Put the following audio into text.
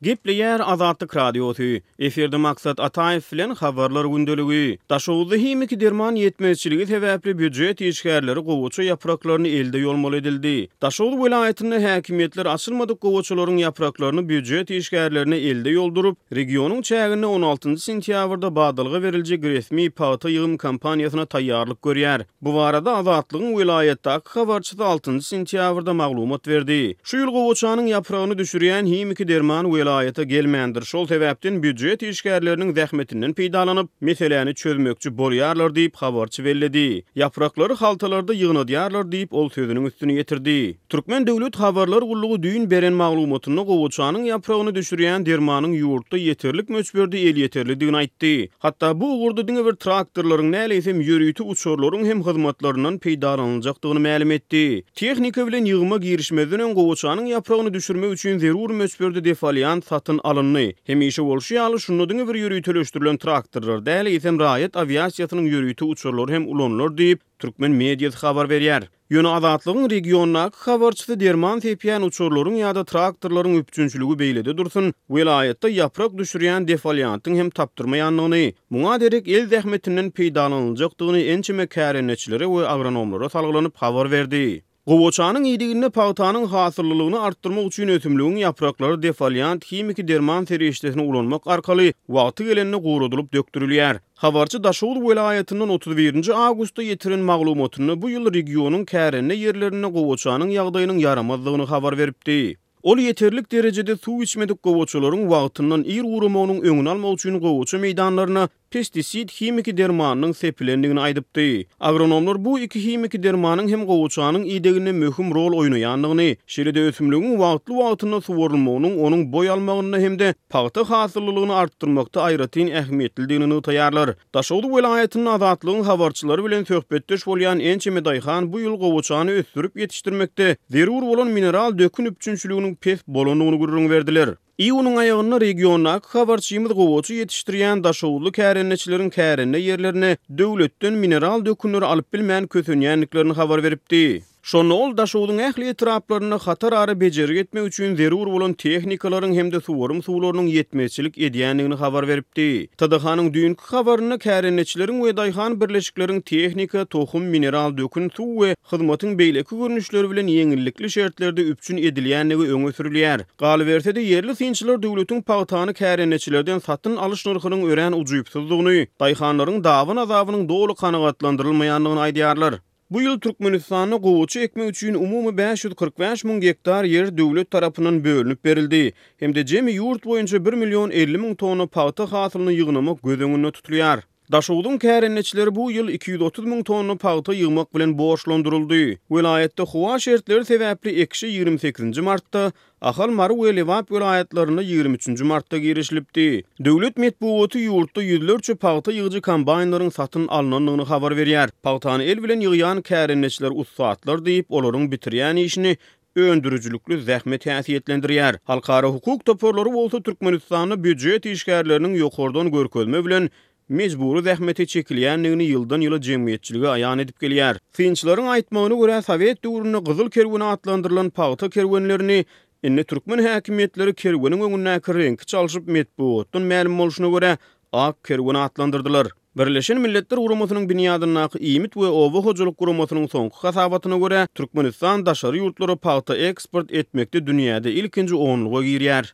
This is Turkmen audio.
Gepleýär Azatlyk Radiosy, Efirde Maksat Ataýew bilen Habarlar gündeligi. Daşoguzda himiki derman ýetmezçiligi sebäpli býujet işgärleri gowaça ýapraklaryny elde ýolmaly edildi. Daşoguz welaýatynda häkimiýetler açylmadyk gowaçalaryň ýapraklaryny býujet işgärlerine elde ýolduryp, regionyň çäginde on altynjy sentýabrda badalga beriljek resmi pagta ýygym kampaniýasyna taýýarlyk görýär. Bu barada Azatlygyň welaýatdaky habarçysy altynjy sentýabrda maglumat berdi. Şu ýyl gowaçanyň ýapragyny düşürýän himiki derman welaýata gelmändir, şol sebäpden býujet işgärleriniň zähmetinden peýdalanyp, meseläni çözmekçi bolýarlar diýip, habarçy belledi. Ýapraklary haltalarda ýygnadýarlar diýip, ol sözüniň üstüni ýetirdi. Türkmen döwlet habarlar gullugy düýn beren maglumatynda gowaçanyň ýapragyny düşürýän dermanyň ýurtda ýeterlik möçberde elýeterlidigini aýtdy. Hatda bu ugurda diňe bir traktorlaryň däl, eýsem ýörite uçarlaryň hem hyzmatlaryndan peýdalanyljakdygyny mälim etdi. Tehnika bilen ýygyma girişmezden öň gowaçanyň ýapragyny düşürmek üçin zerur möçberde defoliant satyn alyndy. Hemişe bolşy ýaly, şunda diňe bir ýöriteleşdirilen traktorlar däl, eýsem raýat awiasiýasynyň ýörite uçarlary hem ulanylar diýip, türkmen mediasy habar berýär. Ýöne Azatlygyň regiondaky habarçysy derman sepýän uçarlaryň ýa-da traktorlaryň üpjünçiligi beýlede dursun, welaýatda ýaprak düşürýän defoliantyň hem tapdyrmaýandygyny, muňa derek el zähmetinden peýdalanyljakdygyny ençeme kärendeçilere we agronomlara salgylanyp habar berdi. Gowaçanyň iýdiginde pagtanyň hasyllylygyny artdyrmak üçin ösümligiň ýapraklary defoliant himiki derman serişdesini ulanmak arkaly wagty gelende guradylyp dökdürilýär. Habarçy Daşoguz welaýatyndan 31 nji awgustda ýetiren maglumatynda bu ýyl regionyň kärende ýerlerinde gowaçanyň ýagdaýynyň ýaramazdygyny habar beripdi. Ol ýeterlik derejede suw içmedik gowaçalaryň wagtyndan ir guramagynyň öňüni almak üçin gowaça meýdanlaryna pestisid himiki dermanynyň sepilendigini aýdypdy. Agronomlar bu iki himiki dermanyň hem gowaçanyň ideginde möhüm rol oýnaýandygyny, şeýle-de ösümligiň wagtly-wagtynda suwarylmagynyň onuň boý almagynda hem-de pagta hasyllylygyny artdyrmakda aýratyn ähmiýetlidigini nygtaýarlar. Daşoguz welaýatynda Azatlygyň habarçylary bilen söhbetdeş bolýan ençeme daýhan bu ýyl gowaçany ösdürip ýetişdirmekde zerur bolan mineral dökün üpjünçiliginiň pes bolandygyny gürrüň berdiler. Iýunyň aýagynda regiondaky habarçymyz gowaça ýetişdirýän daşoguzly kärendeçileriň kärende ýerlerine döwletden mineral dökünleri alyp bilmän kösenýändiklerini habar beripdi. Şonda ol Daşogzuň ähli etraplarynda hatarara bejergi etmek üçin zerur bolan tehnikalaryň hem-de suwarym suwlarynyň ýetmezçilik edýändigini habar beripdi. TDH-nyň düýnki habarynda kärendeçileriň we daýhan birleşikleriň tehnika, tohum, mineral dökün, suw we hyzmatyň beýleki görnüşleri bilen ýeňillikli şertlerde üpjün edilýändigi öňe sürülýär. Galyberse-de, ýerli synçylar döwletiň pagtany kärendeçilerden satyn alyş nyrhynyň örän ujypsyzdygyny, daýhanlaryň daban-azabynyň doly kanagatlandyrylmaýandygyny aýdýarlar. Bu ýyl Türkmenistanda gowaça ekmek üçin umumy 545 müň gektar ýer döwlet tarapyndan bölünip berildi hem-de jemi ýurt boýunça bir million 50 müň tonna pagta hasylyny ýygnamak göz öňünde tutulýar. Daşogzuň kärendeçileri bu ýyl 230 müň tonna pagta ýygmak bilen borçlandyryldy. Welaýatda howa şertleri sebäpli ekişe 28-nji martda, Ahal, Mary we Lebap welaýatlarynda 23-nji martda girişilipdi. Döwlet metbugaty ýurtda ýüzlerçe pagta ýygyjy kombaýnlaryň satyn alnandygyny habar berýär. Pagtany el bilen ýygýan kärendeçiler ussatlar diýip, olaryň bitirýän işini öndürijilikli zähmet häsiýetlendirýär. Halkara hukuk toparlary bolsa Türkmenistanda býujet işgärleriniň ýokardan görkezme bilen mejbury zähmete çekilýändigini ýyldan-ýyla jemgyýetçilige aýan edip gelýär. Synçylaryň aýtmagyna görä, sowet döwründe Gyzyl kerweni atlandyrylan pagta kerwenlerini indi türkmen häkimiýetleri kerweniň öňündäki reňki çalşyp, metbugatdan mälim bolşuna görä, Ak kerwen atlandyrdylar. Birleşen Milletler Guramasynyň binýadyndaky Iýmit we oba hojalyk guramasynyň soňky hasabatyna görä, Türkmenistan daşary ýurtlara pagta eksport etmekde dünýäde ilkinji onluga girýär.